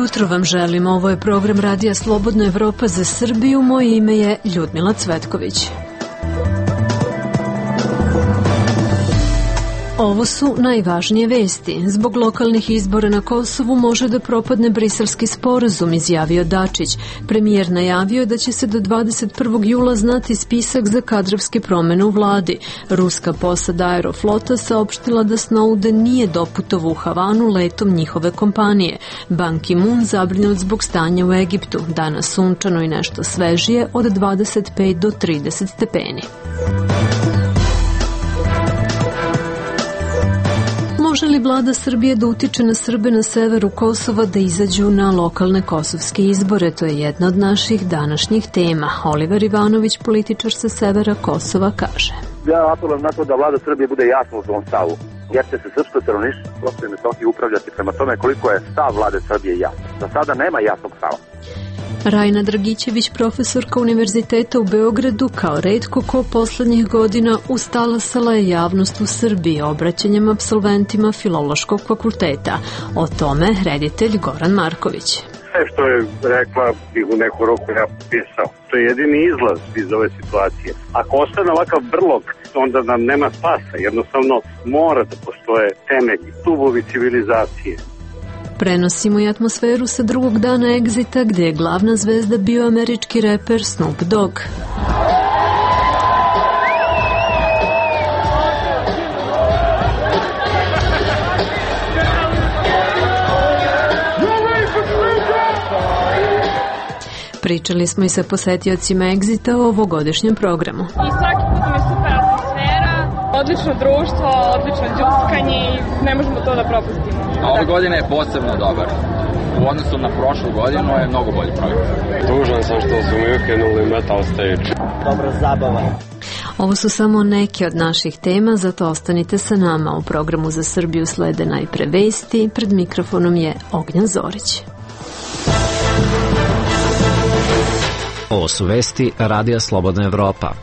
jutro vam želim. Ovo je program Radija Slobodna Evropa za Srbiju. Moje ime je Ljudmila Cvetković. Ovo su najvažnije vesti. Zbog lokalnih izbora na Kosovu može da propadne Briselski sporazum, izjavio Dačić. Premijer najavio da će se do 21. jula znati spisak za kadrovske promene u vladi. Ruska posada Aeroflota saopštila da Snowden nije doputovao u Havanu letom njihove kompanije. Ban Ki-moon zabrinut zbog stanja u Egiptu. Danas sunčano i nešto svežije od 25 do 30 stepeni. Može li vlada Srbije da utiče na Srbe na severu Kosova da izađu na lokalne kosovske izbore? To je jedna od naših današnjih tema. Oliver Ivanović, političar sa severa Kosova, kaže. Ja apelujem na to da vlada Srbije bude jasna u svom stavu, jer će se srpsko stanovništvo Kosova i Metohije upravljati prema tome koliko je stav vlade Srbije jasan. Za sada nema jasnog stava. Rajna Dragićević, profesorka Univerziteta u Beogradu, kao retko ko poslednjih godina ustalasala je javnost u Srbiji obraćanjem apsolventima Filološkog fakulteta. O tome reditelj Goran Marković. Sve što je rekla bih u neku roku ja pisao. To je jedini izlaz iz ove situacije. Ako ostane ovakav brlog, onda nam nema spasa. Jednostavno mora da postoje temelji, stubovi civilizacije. Prenosimo i atmosferu sa drugog dana Exita, gde je glavna zvezda bio američki reper Snoop Dogg. Pričali smo i sa posetiocima Exita o ovogodišnjem programu. I svaki put mi je super atmosfera, odlično društvo, odlično džuskanje i ne možemo to da propustimo. A ove godine je posebno dobar. U odnosu na prošlu godinu je mnogo bolji program. Tužan sam što su mi ukinuli metal stage. Dobra zabava. Ovo su samo neke od naših tema, zato ostanite sa nama. U programu za Srbiju slede najpre vesti. Pred mikrofonom je Ognjan Zorić. Ovo su vesti Radija Slobodna Evropa.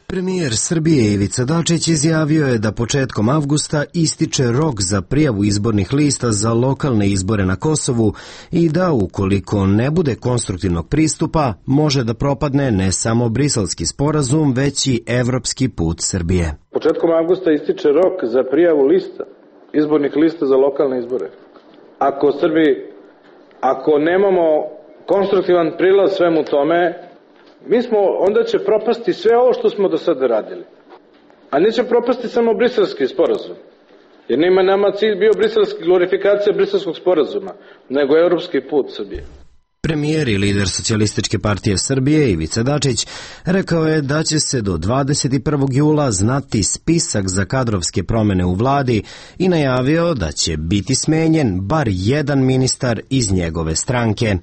Premijer Srbije Ivica Dačić izjavio je da početkom avgusta ističe rok za prijavu izbornih lista za lokalne izbore na Kosovu i da ukoliko ne bude konstruktivnog pristupa može da propadne ne samo Briselski sporazum, već i evropski put Srbije. Početkom avgusta ističe rok za prijavu lista, izbornih lista za lokalne izbore. Ako nemamo konstruktivan prilaz svemu tome, onda će propasti sve ovo što smo do sada radili. A neće propasti samo Briselski sporazum. Jer nema nama cilj bio glorifikacija Briselskog sporazuma, nego evropski put Srbije. Premijer i lider Socijalističke partije Srbije Ivica Dačić rekao je da će se do 21. jula znati spisak za kadrovske promene u vladi i najavio da će biti smenjen bar jedan ministar iz njegove stranke.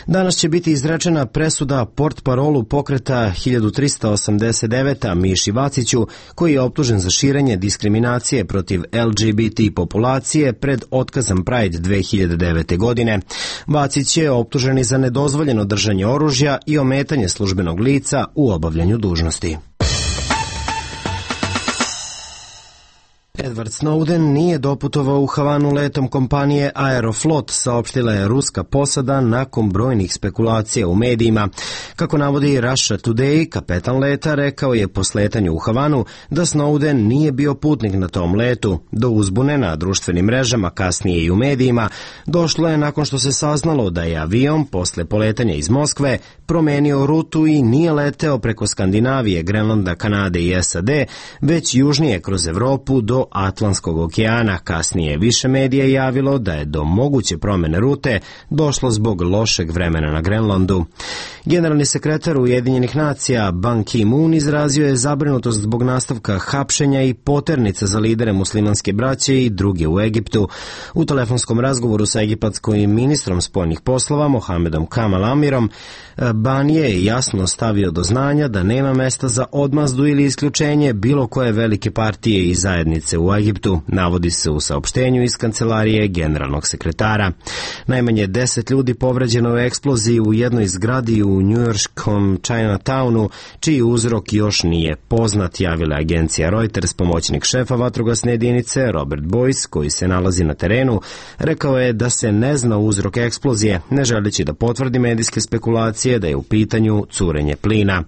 Danas će biti izrečena presuda portparolu pokreta 1389 Miši Vaciću, koji je optužen za širenje diskriminacije protiv LGBT populacije pred otkazom Pride 2009. godine. Vacić je optužen za nedozvoljeno držanje oružja i ometanje službenog lica u obavljanju dužnosti. Edward Snowden nije doputovao u Havanu letom kompanije Aeroflot, saopštila je ruska posada nakon brojnih spekulacija u medijima. Kako navodi Russia Today, kapetan leta rekao je po sletanju u Havanu da Snowden nije bio putnik na tom letu. Do uzbune na društvenim mrežama, kasnije i u medijima, došlo je nakon što se saznalo da je avion posle poletanja iz Moskve promenio rutu i nije leteo preko Skandinavije, Grenlanda, Kanade i SAD, već južnije kroz Evropu do Atlantskog okeana. Kasnije više medija javilo da je do moguće promene rute došlo zbog lošeg vremena na Grenlandu. Generalni sekretar Ujedinjenih nacija Ban Ki-moon izrazio je zabrinutost zbog nastavka hapšenja i poternica za lidere muslimanske braće i druge u Egiptu. U telefonskom razgovoru sa egipatskim ministrom spoljnih poslova Mohamedom Kamal Amirom, Ban je jasno stavio do znanja da nema mesta za odmazdu ili isključenje bilo koje velike partije i zajednice granice u Egiptu, navodi se u saopštenju iz kancelarije generalnog sekretara. Najmanje 10 ljudi povređeno u eksploziji u jednoj zgradi u njujorškom Chinatownu, čiji uzrok još nije poznat, javila agencija Reuters. Pomoćnik šefa vatrogasne jedinice Robert Boyce, koji se nalazi na terenu, rekao je da se ne zna uzrok eksplozije, ne želeći da potvrdi medijske spekulacije da je u pitanju curenje plina.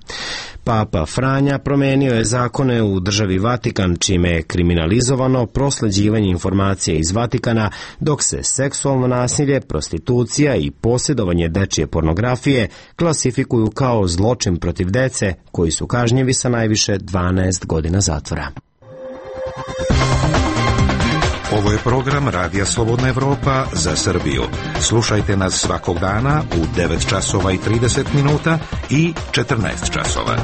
Papa Franja promenio je zakone u državi Vatikan, čime je kriminalizovano prosleđivanje informacija iz Vatikana, dok se seksualno nasilje, prostitucija i posjedovanje dečije pornografije klasifikuju kao zločin protiv dece, koji su kažnjivi sa najviše 12 godina zatvora. Ovo je program Radija Slobodna Evropa za Srbiju. Slušajte nas svakog dana u 9 časova i 30 minuta i 14 časova.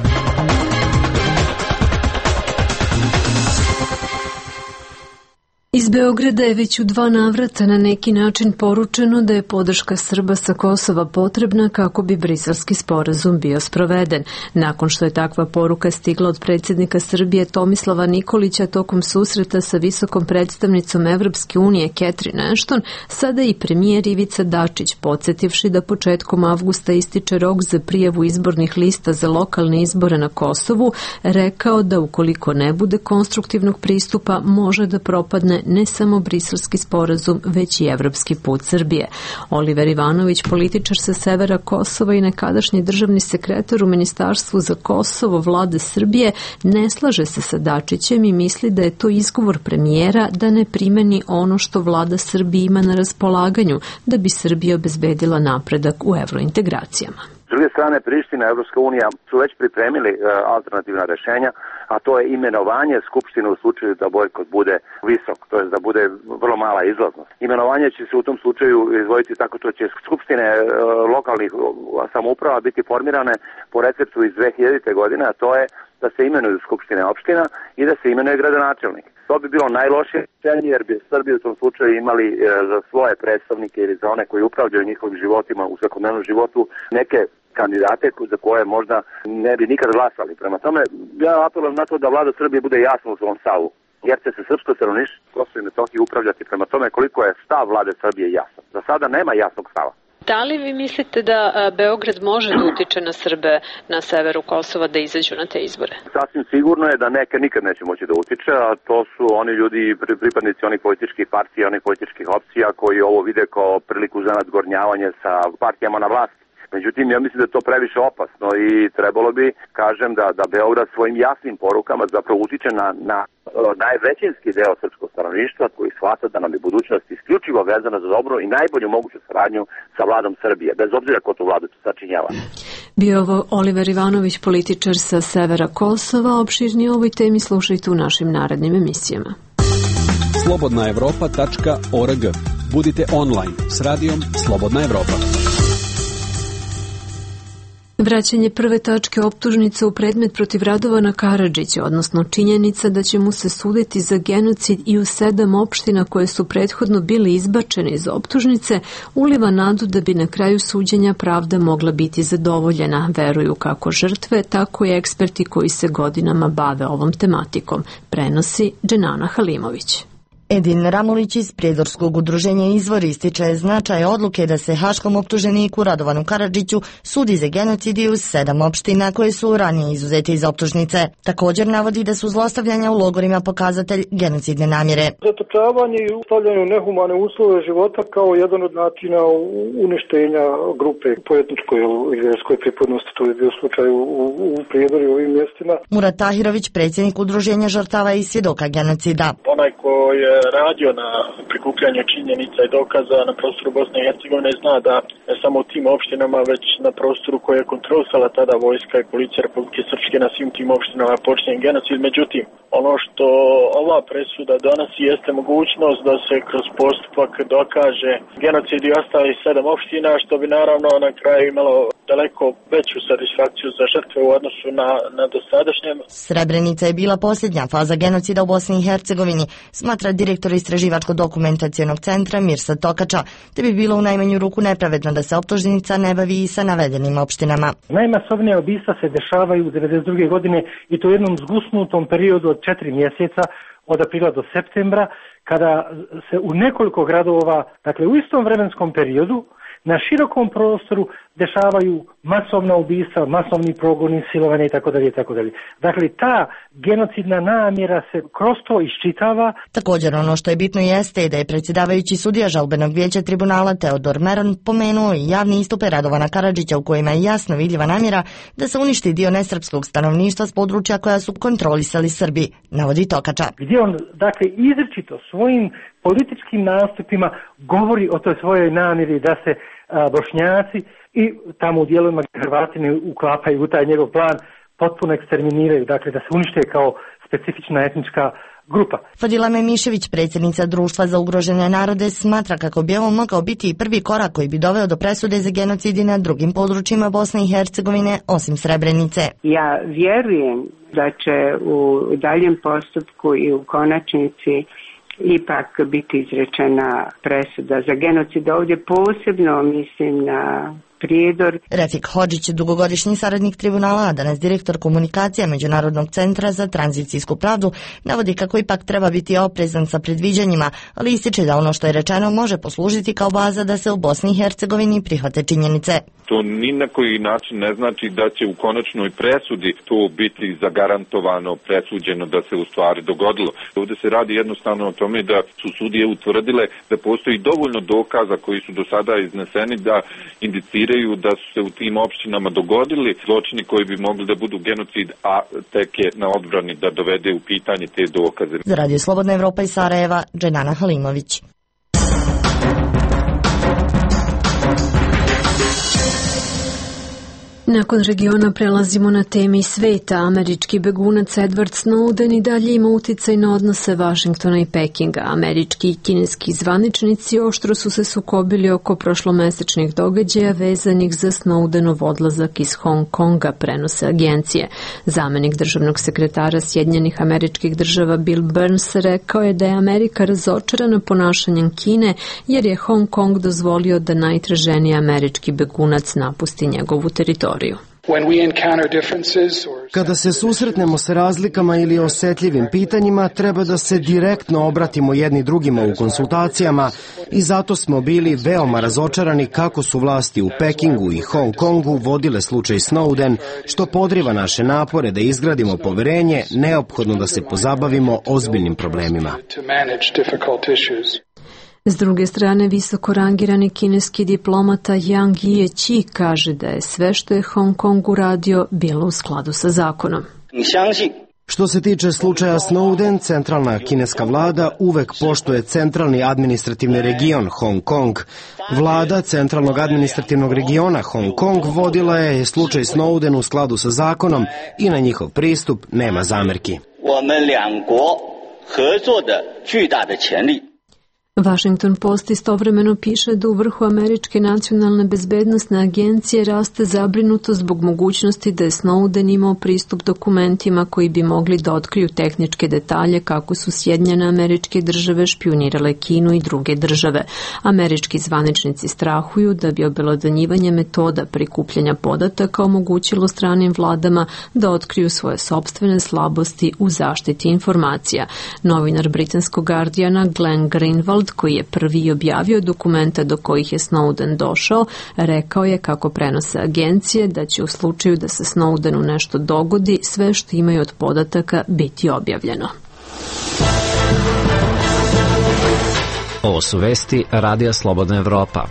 Iz Beograda je već u 2 navrata na neki način poručeno da je podrška Srba sa Kosova potrebna kako bi briselski sporazum bio sproveden. Nakon što je takva poruka stigla od predsjednika Srbije Tomislava Nikolića tokom susreta sa visokom predstavnicom Evropske unije Catherine Ashton, sada i premijer Ivica Dačić, podsjetivši da početkom avgusta ističe rok za prijavu izbornih lista za lokalne izbore na Kosovu, rekao da ukoliko ne bude konstruktivnog pristupa može da propadne ne samo briselski sporazum, već i evropski put Srbije. Oliver Ivanović, političar sa severa Kosova i nekadašnji državni sekretar u Ministarstvu za Kosovo vlade Srbije, ne slaže se sa Dačićem i misli da je to izgovor premijera da ne primeni ono što vlada Srbije ima na raspolaganju da bi Srbija obezbedila napredak u evrointegracijama. S druge strane, Priština i Evropska unija su već pripremili alternativna rešenja, a to je imenovanje Skupštine u slučaju da bojkot bude visok, to je da bude vrlo mala izlaznost. Imenovanje će se u tom slučaju izvoditi tako što će skupštine lokalnih samouprava biti formirane po receptu iz 2000. godine, a to je da se imenuju skupštine opština i da se imenuje gradonačelnik. To bi bilo najlošije rešenje jer bi Srbi u tom slučaju imali za svoje predstavnike ili za one koji upravljaju njihovim životima u svakodnevnom životu neke kandidate za koje možda ne bi nikad glasali. Prema tome, ja apelujem na to da vlada Srbije bude jasna u svom stavu, jer će se srpsko stanovništvo Kosovo i Metohije upravljati prema tome koliko je stav vlade Srbije jasan. Za sada nema jasnog stava. Da li vi mislite da Beograd može da utiče na Srbe na severu Kosova da izađu na te izbore? Sasvim sigurno je da neke nikad neće moći da utiče, a to su oni ljudi, pripadnici onih političkih partija, onih političkih opcija koji ovo vide kao priliku za nadgornjavanje sa partijama na vlasti. Međutim, ja mislim da je to previše opasno i trebalo bi, kažem, da Beograd svojim jasnim porukama zapravo utiče na najvećinski deo srpskog stanovništva koji shvata da nam je budućnost isključivo vezana za dobro i najbolju moguću saradnju sa vladom Srbije, bez obzira ko tu vladu sačinjava. Bio ovo Oliver Ivanović, političar sa severa Kosova. Opširnije o ovoj temi slušajte u našim narednim emisijama. slobodnaevropa.org. Budite online s radijom Slobodna Evropa. Vraćanje prve tačke optužnice u predmet protiv Radovana Karadžića, odnosno činjenica da će mu se suditi za genocid i u 7 opština koje su prethodno bile izbačene iz optužnice, uliva nadu da bi na kraju suđenja pravda mogla biti zadovoljena, veruju kako žrtve, tako i eksperti koji se godinama bave ovom tematikom, prenosi Dženana Halimović. Edin Ramulić iz Prijedorskog udruženja Izvor ističe značaj odluke da se haškom optuženiku Radovanu Karadžiću sudi za genocid u 7 opština koje su ranije izuzete iz optužnice. Također navodi da su zlostavljanja u logorima pokazatelj genocidne namjere. Zatočavanje i stavljanje u nehumane uslove života kao jedan od načina uništenja grupe po etničkoj i vjerskoj pripadnosti, to je bio slučaj u Prijedoru i ovim mjestima. Murat Tahirović, predsjednik udruženja žrtava i svjedoka genocida. Onaj ko je radio na prikupljanju činjenica i dokaza na prostoru Bosne i Hercegovine zna da ne samo u tim opštinama, već na prostoru koje je kontrolisala tada vojska i policija Republike Srpske, na svim tim opštinama počinjen genocid. Međutim, ono što ova presuda donosi jeste mogućnost da se kroz postupak dokaže genocid i ostali 7 opština, što bi naravno na kraju imalo daleko veću satisfakciju za žrtve u odnosu na dosadašnjem. Srebrenica je bila posljednja faza genocida u Bosni i Hercegovini, smatra direktora Istraživačko-dokumentacionog centra Mirsa Tokača, te bi bilo u najmanju ruku nepravedno da se optužnica ne bavi i sa navedenim opštinama. Najmasovnija ubistva se dešavaju u 1992. godine i to u jednom zgusnutom periodu od 4 mjeseca, od aprila do septembra, kada se u nekoliko gradova, dakle u istom vremenskom periodu, na širokom prostoru dešavaju masovna ubistva, masovni progoni, silovanje itd. Dakle, ta genocidna namjera se kroz to iščitava. Također ono što je bitno jeste da je predsjedavajući sudija žalbenog vijeća tribunala Teodor Meron pomenuo i javni istupe Radovana Karadžića u kojima je jasno vidljiva namjera da se uništi dio nesrpskog stanovništva s područja koja su kontrolisali Srbi, navodi Tokača. Gdje on, dakle, izričito svojim političkim nastupima govori o toj svojoj namjeri da se Bošnjaci i tamo u dijelovima Hrvati ne uklapaju u taj njegov plan, potpuno eksterminiraju, dakle da se unište kao specifična etnička grupa. Fadila Memišević, predsjednica Društva za ugrožene narode, smatra kako bi ovo mogao biti i prvi korak koji bi doveo do presude za genocid na drugim područjima Bosne i Hercegovine, osim Srebrenice. Ja vjerujem da će u daljem postupku i u konačnici ipak biti izrečena presuda za genocid. Ovdje posebno mislim na Prijedor. Refik Hodžić, dugogodišnji saradnik tribunala, a danas direktor komunikacija Međunarodnog centra za tranzicijsku pravdu, navodi kako ipak treba biti oprezan sa predviđanjima, ali ističe da ono što je rečeno može poslužiti kao baza da se u Bosni i Hercegovini prihvate činjenice. To ni na koji način ne znači da će u konačnoj presudi to biti zagarantovano, presuđeno da se u stvari dogodilo. Ovdje se radi jednostavno o tome da su sudije utvrdile da postoji dovoljno dokaza koji su do sada izneseni da indiciraju da su se u tim opštinama dogodili zločini koji bi mogli da budu genocid, a tek je na odbrani da dovede u pitanje te dokaze. Za Radio Slobodna Evropa iz Sarajeva, Dženana Halimović. Nakon regiona prelazimo na temi sveta. Američki begunac Edward Snowden i dalje ima uticaj na odnose Vašingtona i Pekinga. Američki i kineski zvaničnici oštro su se sukobili oko prošlomesečnih događaja vezanih za Snowdenov odlazak iz Hong Konga, prenose agencije. Zamenik državnog sekretara Sjedinjenih Američkih Država Bill Burns rekao je da je Amerika razočarana ponašanjem Kine jer je Hong Kong dozvolio da najtraženiji američki begunac napusti njegovu teritoriju. Kada se susretnemo sa razlikama ili osjetljivim pitanjima, treba da se direktno obratimo jedni drugima u konsultacijama i zato smo bili veoma razočarani kako su vlasti u Pekingu i Hong Kongu vodile slučaj Snowden, što podriva naše napore da izgradimo poverenje, neophodno da se pozabavimo ozbiljnim problemima. S druge strane, visoko rangirani kineski diplomata Yang Jiechi kaže da je sve što je Hong Kong uradio bilo u skladu sa zakonom. Što se tiče slučaja Snowden, centralna kineska vlada uvek poštuje centralni administrativni region Hong Kong. Vlada centralnog administrativnog regiona Hong Kong vodila je slučaj Snowden u skladu sa zakonom i na njihov pristup nema zamerki. Washington Post istovremeno piše da u vrhu Američke nacionalne bezbednosne agencije raste zabrinuto zbog mogućnosti da je Snowden imao pristup dokumentima koji bi mogli da otkriju tehničke detalje kako su Sjedinjene Američke Države špijunirale Kinu i druge države. Američki zvaničnici strahuju da bi obelodanjivanje metoda prikupljanja podataka omogućilo stranim vladama da otkriju svoje sopstvene slabosti u zaštiti informacija. Novinar britanskog Guardiana Glenn Greenwald, koji je prvi objavio dokumenta do kojih je Snowden došao, rekao je, kako prenose agencije, da će u slučaju da se Snowdenu nešto dogodi, sve što imaju od podataka biti objavljeno. Ovo su vesti Radija Slobodna Evropa.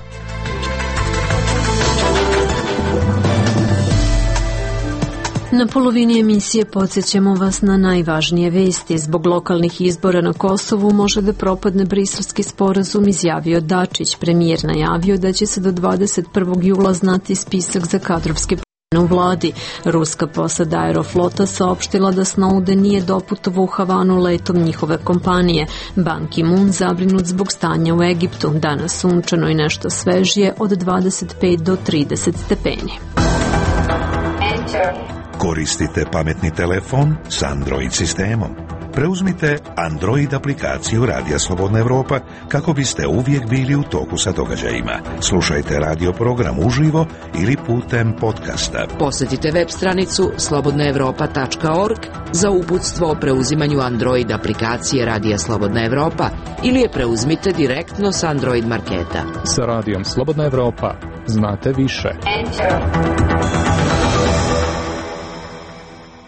Na polovini emisije podsjećamo vas na najvažnije vesti. Zbog lokalnih izbora na Kosovu može da propadne briselski sporazum, izjavio Dačić. Premijer najavio da će se do 21. jula znati spisak za kadrovske promjene u vladi. Ruska posada Aeroflota saopštila da Snowden nije doputovao u Havanu letom njihove kompanije. Ban Ki-moon zabrinut zbog stanja u Egiptu. Danas sunčano i nešto svežije od 25 do 30 stepeni. Koristite pametni telefon s Android sistemom. Preuzmite Android aplikaciju Radija Slobodna Evropa kako biste uvijek bili u toku sa događajima. Slušajte radio program uživo ili putem podcasta. Posjetite web stranicu slobodnaevropa.org za uputstvo o preuzimanju Android aplikacije Radija Slobodna Evropa ili je preuzmite direktno s Android marketa. Sa Radijom Slobodna Evropa znate više.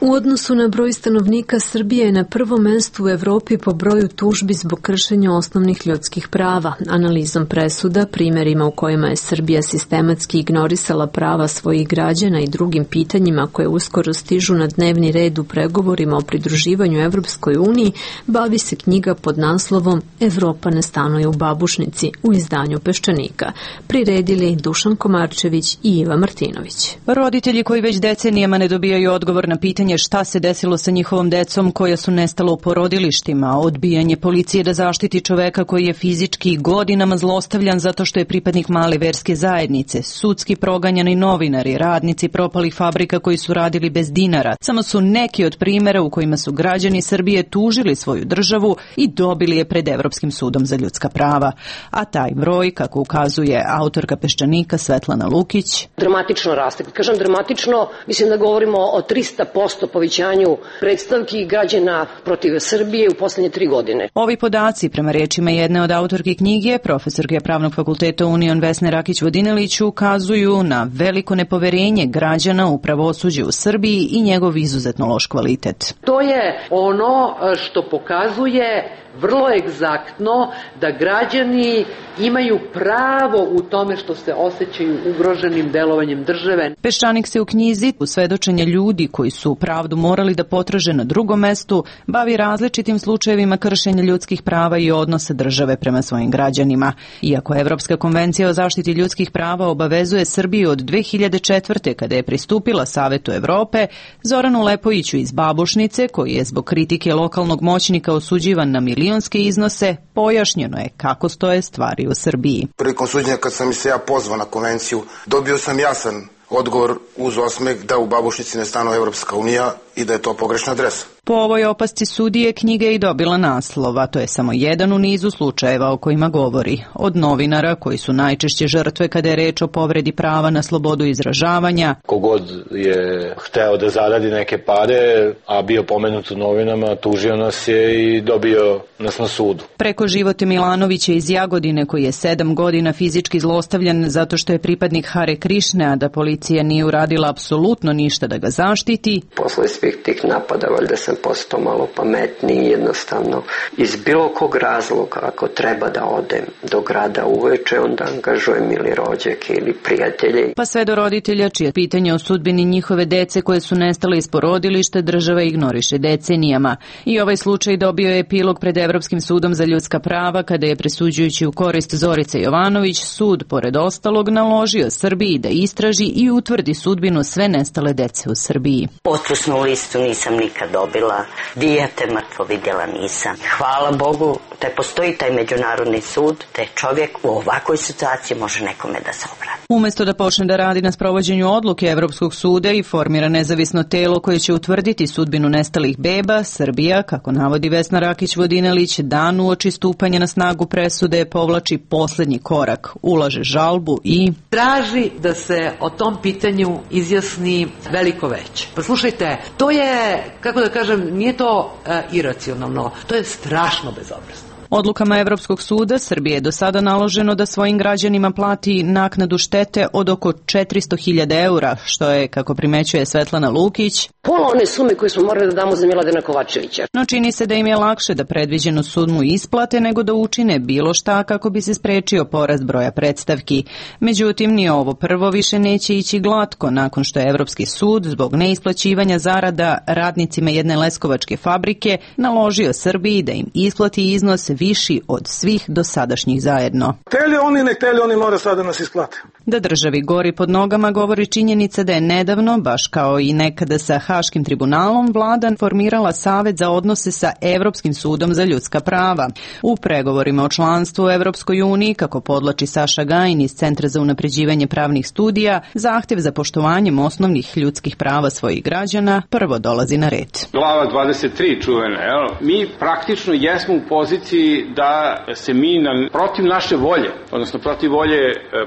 U odnosu na broj stanovnika, Srbija je na prvom mestu u Evropi po broju tužbi zbog kršenja osnovnih ljudskih prava. Analizom presuda, primjerima u kojima je Srbija sistematski ignorisala prava svojih građana i drugim pitanjima koje uskoro stižu na dnevni red u pregovorima o pridruživanju Evropskoj uniji, bavi se knjiga pod naslovom Evropa ne stanuje u babušnici u izdanju Peščanika. Priredili Dušan Komarčević i Iva Martinović. Roditelji koji već decenijama ne dobijaju odgovor na pitanje šta se desilo sa njihovom decom koja su nestala u porodilištima, odbijanje policije da zaštiti čoveka koji je fizički godinama zlostavljan zato što je pripadnik male verske zajednice, sudski proganjani novinari, radnici propalih fabrika koji su radili bez dinara, samo su neki od primjera u kojima su građani Srbije tužili svoju državu i dobili je pred Evropskim sudom za ljudska prava. A taj broj, kako ukazuje autorka Peščanika Svetlana Lukić, dramatično raste. Kad kažem dramatično, mislim da govorimo o 300% povećanju predstavki građana protiv Srbije u poslednje 3 godine. Ovi podaci, prema rečima jedne od autorke knjige, profesorke Pravnog fakulteta Union Vesne Rakić-Vodinelić, ukazuju na veliko nepoverenje građana u pravosuđe u Srbiji i njegov izuzetno loš kvalitet. To je ono što pokazuje vrlo egzaktno da građani imaju pravo u tome što se osjećaju ugroženim delovanjem države. Peščanik se u knjizi, u svedočenje ljudi koji su pravdu morali da potraže na drugom mestu, bavi različitim slučajevima kršenja ljudskih prava i odnosa države prema svojim građanima. Iako Evropska konvencija o zaštiti ljudskih prava obavezuje Srbiju od 2004. kada je pristupila Savetu Evrope, Zoranu Lepojiću iz Babušnice, koji je zbog kritike lokalnog moćnika osuđivan na milionske iznose, pojašnjeno je kako stoje stvari u Srbiji. Prilikom suđenja kad sam se ja pozvao na konvenciju, dobio sam jasan odgovor uz osmeh da u Babušnici ne stanuje Evropska unija i da je to pogrešna adresa. Po ovoj opasci sudije knjiga je i dobila naslov, a to je samo jedan u nizu slučajeva o kojima govori. Od novinara, koji su najčešće žrtve kada je reč o povredi prava na slobodu izražavanja. Kogod je hteo da zaradi neke pare, a bio pomenut u novinama, tužio nas je i dobio nas na sudu. Preko Živote Milanovića iz Jagodine, koji je 7 godina fizički zlostavljan zato što je pripadnik Hare Krišne, a da policija nije uradila apsolutno ništa da ga zaštiti. Posle svih tih napada, valjda sam postao malo pametniji, jednostavno iz bilo kog razloga, ako treba da odem do grada uveče, onda angažujem ili rođake ili prijatelje. Pa sve do roditelja čije pitanje o sudbini njihove dece koje su nestale iz porodilišta država ignoriše decenijama. I ovaj slučaj dobio je epilog pred Evropskim sudom za ljudska prava kada je, presuđujući u korist Zorice Jovanović, sud pored ostalog naložio Srbiji da istraži i utvrdi sudbinu sve nestale dece u Srbiji. Otpusnu listu nisam nikad dobila, dijete mrtvo vidjela nisam. Hvala Bogu da postoji taj međunarodni sud, da čovjek u ovakvoj situaciji može nekome da se obrati. Umesto da počne da radi na sprovođenju odluke Evropskog suda i formira nezavisno telo koje će utvrditi sudbinu nestalih beba, Srbija, kako navodi Vesna Rakić-Vodinelić, dan uoči stupanja na snagu presude povlači poslednji korak, ulaže žalbu i traži da se o tom pitanju izjasni veliko veće. Pa slušajte, to je, kako da kažem, nije to iracionalno, to je strašno bezobrazno. Odlukama Evropskog suda Srbije je do sada naloženo da svojim građanima plati naknadu štete od oko 400.000 eura, što je, kako primećuje Svetlana Lukić, pola one sume koje smo morali da damo za Miladina Kovačevića. No čini se da im je lakše da predviđenu sumu isplate nego da učine bilo šta kako bi se sprečio porast broja predstavki. Međutim, ni ovo prvo više neće ići glatko nakon što je Evropski sud zbog neisplaćivanja zarada radnicima jedne leskovačke fabrike naložio Srbiji da im isplati iznos viši od svih dosadašnjih zajedno. Hteli oni, ne hteli oni, mora sada nas isplate. Da državi gori pod nogama govori činjenica da je nedavno, baš kao i nekada sa Haškim tribunalom, vlada formirala Savet za odnose sa Evropskim sudom za ljudska prava. U pregovorima o članstvu u Evropskoj uniji, kako podlači Saša Gajin iz Centra za unapređivanje pravnih studija, zahtev za poštovanjem osnovnih ljudskih prava svojih građana prvo dolazi na red. Glava 23 čuvena, mi praktično jesmo u poziciji da se mi protiv naše volje, odnosno protiv volje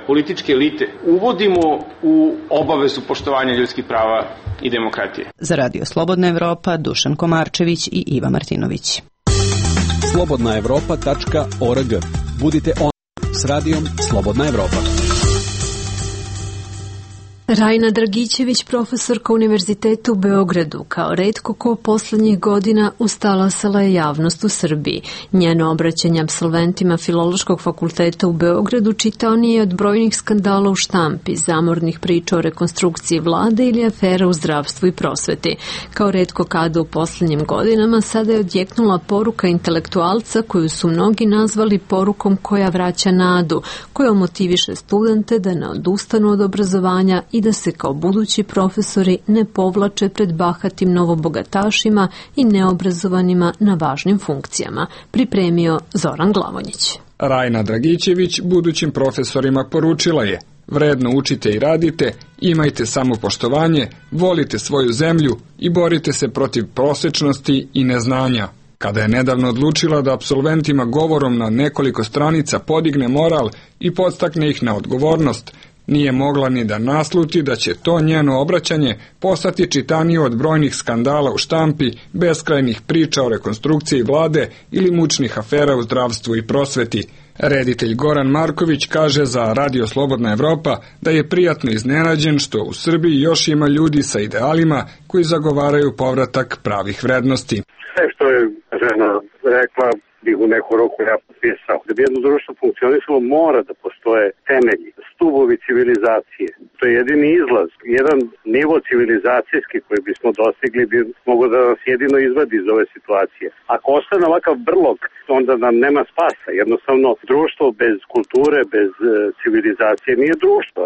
političke elite, uvodimo u obavezu poštovanja ljudskih prava i demokratije. Za Radio Slobodna Evropa, Dušan Komarčević i Iva Martinović. slobodnaevropa.org. Budite online s radijom Slobodna Evropa. Rajna Dragićević, profesorka Univerziteta u Beogradu, kao retko ko poslednjih godina ustalasala je javnost u Srbiji. Njeno obraćanje apsolventima Filološkog fakulteta u Beogradu čitaonije od brojnih skandala u štampi, zamornih priča o rekonstrukciji vlade ili afera u zdravstvu i prosveti. Kao retko kada u poslednjim godinama sada je odjeknula poruka intelektualca koju su mnogi nazvali porukom koja vraća nadu, koja motiviše studente da ne odustanu od obrazovanja i da se kao budući profesori ne povlače pred bahatim novobogatašima i neobrazovanima na važnim funkcijama, pripremio Zoran Glavonjić. Rajna Dragićević budućim profesorima poručila je: vredno učite i radite, imajte samopoštovanje, volite svoju zemlju i borite se protiv prosečnosti i neznanja. Kada je nedavno odlučila da apsolventima govorom na nekoliko stranica podigne moral i podstakne ih na odgovornost, nije mogla ni da nasluti da će to njeno obraćanje postati čitanije od brojnih skandala u štampi, beskrajnih priča o rekonstrukciji vlade ili mučnih afera u zdravstvu i prosveti. Reditelj Goran Marković kaže za Radio Slobodna Evropa da je prijatno iznenađen što u Srbiji još ima ljudi sa idealima koji zagovaraju povratak pravih vrednosti. Sve što je žena rekla bih u neku roku ja potpisao. Da bi jedno društvo funkcionisalo mora da postoje temelji, stubovi civilizacije. To je jedini izlaz. Jedan nivo civilizacijski koji bismo dostigli bi mogo da nas jedino izvadi iz ove situacije. Ako ostane ovakav brlog, onda nam nema spasa. Jednostavno, društvo bez kulture, bez civilizacije nije društvo.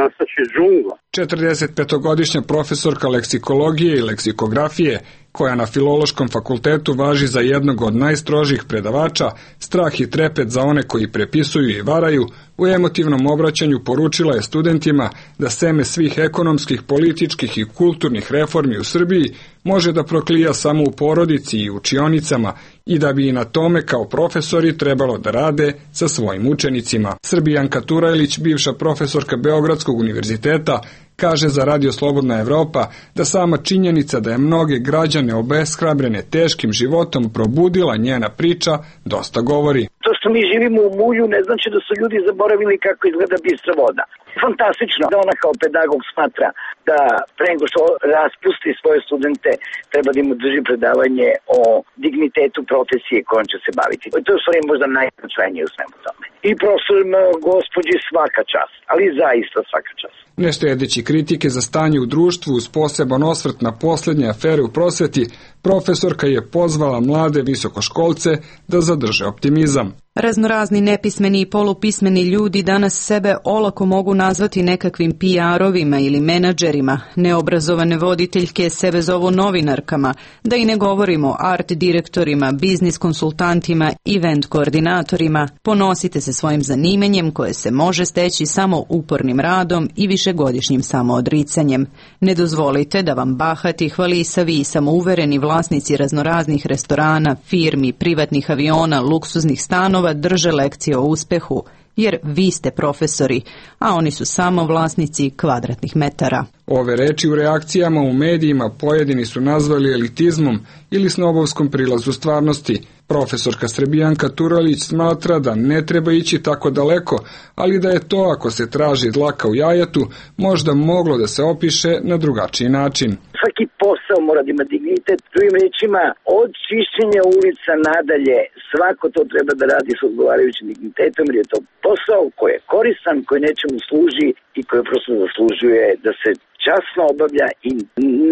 Nastaće džungla. 45-godišnja profesorka leksikologije i leksikografije, koja na Filološkom fakultetu važi za jednog od najstrožih predavača, strah i trepet za one koji prepisuju i varaju, u emotivnom obraćanju poručila je studentima da seme svih ekonomskih, političkih i kulturnih reformi u Srbiji može da proklija samo u porodici i učionicama i da bi i na tome kao profesori trebalo da rade sa svojim učenicima. Srbijanka Turajlić, bivša profesorka Beogradskog univerziteta, kaže za Radio Slobodna Evropa da sama činjenica da je mnoge građane obeshrabrene teškim životom probudila njena priča dosta govori. To što mi živimo u mulju ne znači da su ljudi zaboravili kako izgleda bistra voda. Fantastično da ona kao pedagog smatra da pre nego što raspusti svoje studente treba da im drži predavanje o dignitetu profesije kojom će se baviti. To je u stvari možda najznačajnije u svemu tome. I profesorima gospođi svaka čast, ali zaista svaka čast. Ne štedeći kritike za stanje u društvu uz poseban osvrt na poslednje afere u prosveti, profesorka je pozvala mlade visokoškolce da zadrže optimizam. Raznorazni nepismeni i polupismeni ljudi danas sebe olako mogu nazvati nekakvim PR-ovima ili menadžerima, neobrazovane voditeljke sebe zovu novinarkama, da i ne govorimo o art direktorima, biznis konsultantima, event koordinatorima. Ponosite se svojim zanimanjem koje se može steći samo upornim radom i višegodišnjim samoodricanjem. Ne dozvolite da vam bahati, hvalisavi i samouvereni vlasnici raznoraznih restorana, firmi, privatnih aviona, luksuznih stanova drže lekcije o uspehu, jer vi ste profesori, a oni su samo vlasnici kvadratnih metara. Ove reči u reakcijama u medijima pojedini su nazvali elitizmom ili snobovskom prilazu stvarnosti. Profesorka Srbijanka Turalić smatra da ne treba ići tako daleko, ali da je to, ako se traži dlaka u jajetu, možda moglo da se opiše na drugačiji način. Svaki posao mora da ima dignitet. Drugim rečima, od čišćenja ulica nadalje, svako to treba da radi s odgovarajućim dignitetom, jer je to posao koji je koristan, koji nečemu služi i koji prosto zaslužuje da se časno obavlja i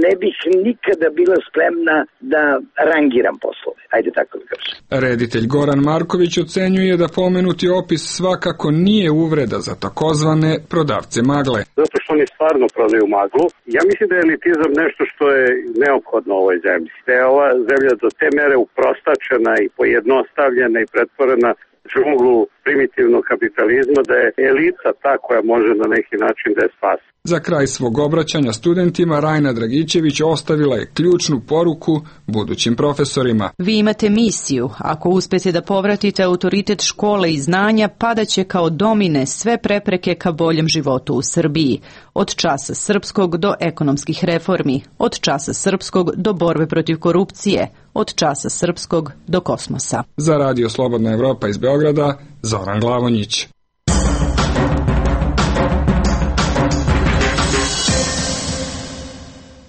ne bih nikada bila spremna da rangiram poslove. Ajde tako da kažem. Reditelj Goran Marković ocenjuje da pomenuti opis svakako nije uvreda za takozvane prodavce magle. Zato što oni stvarno prodaju maglu. Ja mislim da je elitizam nešto što je neophodno u ovoj zemlji. Da je ova zemlja do te mere uprostačena i pojednostavljena i pretvorena džunglu primitivnog kapitalizma, da je elita ta koja može na neki način da je spasi. Za kraj svog obraćanja studentima Rajna Dragićević ostavila je ključnu poruku budućim profesorima. Vi imate misiju. Ako uspete da povratite autoritet škole i znanja, padaće kao domine sve prepreke ka boljem životu u Srbiji. Od časa srpskog do ekonomskih reformi, od časa srpskog do borbe protiv korupcije, od časa srpskog do kosmosa. Za Radio Slobodna Evropa iz Beograda, Zoran Glavonjić.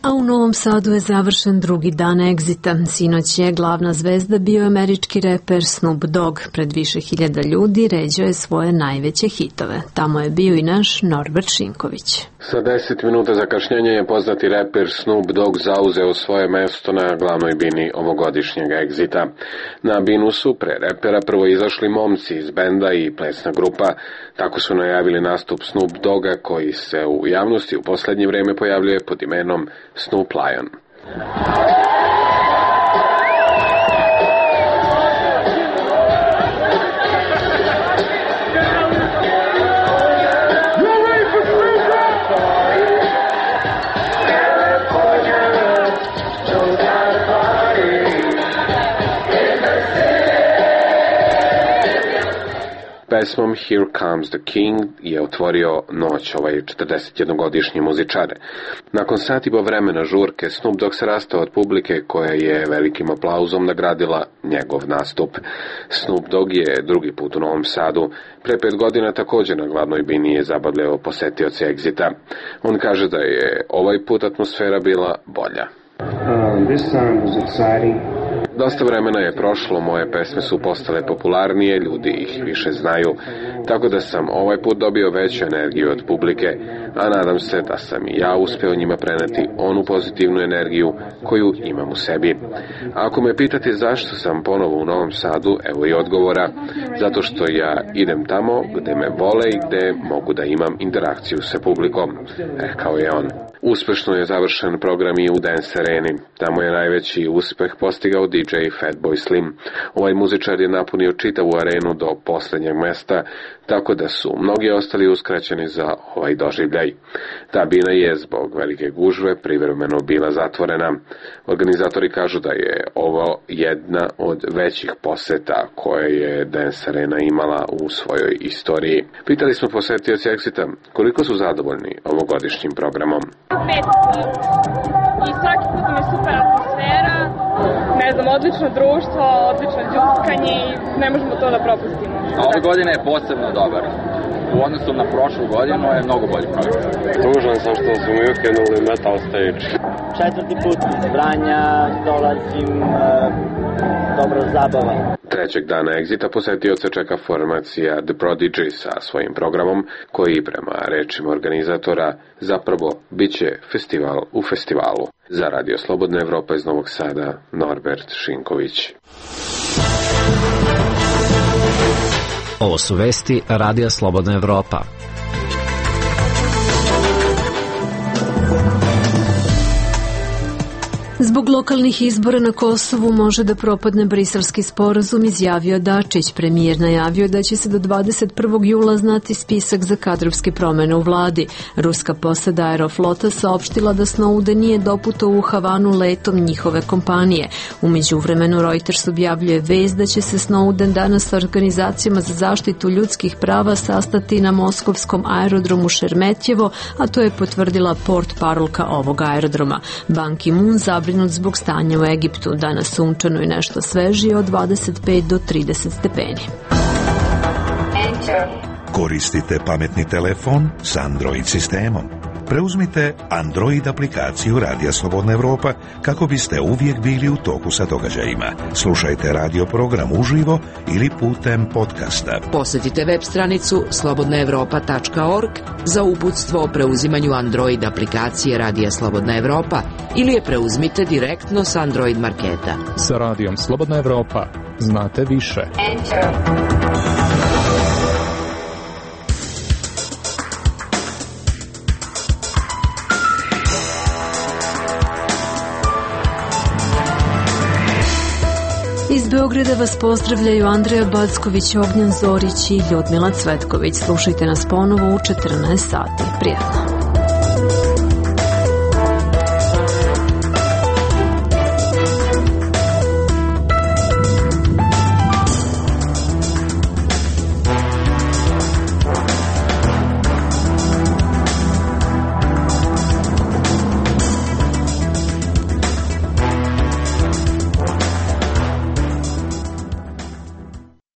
A u Novom Sadu je završen drugi dan egzita. Sinoć je glavna zvezda bio američki reper Snoop Dogg. Pred više hiljada ljudi ređao je svoje najveće hitove. Tamo je bio i naš Norbert Šinković. Sa 10 minuta zakašnjenja je poznati reper Snoop Dogg zauzeo svoje mesto na glavnoj bini ovogodišnjeg egzita. Na binu su pre repera prvo izašli momci iz benda i plesna grupa. Tako su najavili nastup Snoop Dogga koji se u javnosti u poslednje vreme pojavljuje pod imenom Snoop Lion. Pesmom Here Comes the King je otvorio noć ovaj 41-godišnji muzičar. Nakon sat i po vremena žurke, Snoop Dogg se rastao od publike koja je velikim aplauzom nagradila njegov nastup. Snoop Dogg je drugi put u Novom Sadu. Pre 5 godina također na glavnoj bini je zabavljao posetioce egzita. On kaže da je ovaj put atmosfera bila bolja. This time was exciting. Dosta vremena je prošlo, moje pesme su postale popularnije, ljudi ih više znaju, tako da sam ovaj put dobio veću energiju od publike, a nadam se da sam i ja uspeo njima preneti onu pozitivnu energiju koju imam u sebi. Ako me pitate zašto sam ponovo u Novom Sadu, evo i odgovora, zato što ja idem tamo gde me vole i gde mogu da imam interakciju sa publikom, rekao je on. Uspešno je završen program i u Dance Areni. Tamo je najveći uspeh postigao DJ Fatboy Slim. Ovaj muzičar je napunio čitavu arenu do poslednjeg mesta, tako da su mnogi ostali uskraćeni za ovaj doživljaj. Ta bina je zbog velike gužve privremeno bila zatvorena. Organizatori kažu da je ovo jedna od većih poseta koje je Dance Arena imala u svojoj istoriji. Pitali smo posetioci Exita koliko su zadovoljni ovogodišnjim programom. 5 i svaki put mi je super atmosfera, ne znam, odlično društvo, odlično đuskanje i ne možemo to da propustimo. A ove godine je posebno dobar. U odnosu na prošlu godinu je mnogo bolji program. Tužan sam što su mi ukinuli Metal Stage. 4. put iz Vranja dolazim, dobra zabava. Trećeg dana egzita posetioce čeka formacija The Prodigy sa svojim programom, koji prema rečima organizatora zapravo biće festival u festivalu. Za Radio Slobodna Evropa iz Novog Sada, Norbert Šinković. Ovo su vesti Radija Slobodna Evropa. Zbog lokalnih izbora na Kosovu može da propadne briselski sporazum, izjavio Dačić. Premijer najavio da će se do 21. jula znati spisak za kadrovske promene u vladi. Ruska posada Aeroflota saopštila da Snowden nije doputao u Havanu letom njihove kompanije. U međuvremenu Reuters objavljuje vest da će se Snowden danas sa organizacijama za zaštitu ljudskih prava sastati na moskovskom aerodromu Šeremetjevo, a to je potvrdila portparolka ovog aerodroma. Ban Ki-moon zabrinut zbog stanja u Egiptu. Danas sunčano i nešto svežije od 25 do 30 stepeni. Koristite pametni telefon s Android sistemom. Preuzmite Android aplikaciju Radija Slobodna Evropa kako biste uvijek bili u toku sa događajima. Slušajte radio program uživo ili putem podcasta. Posjetite web stranicu slobodnaevropa.org za uputstvo o preuzimanju Android aplikacije Radija Slobodna Evropa ili je preuzmite direktno s Android marketa. Sa Radijom Slobodna Evropa znate više. Iz Beograda vas pozdravljaju Andreja Backović, Ognjan Zorić i Ljudmila Cvetković. Slušajte nas ponovo u 14 sati. Prijatno.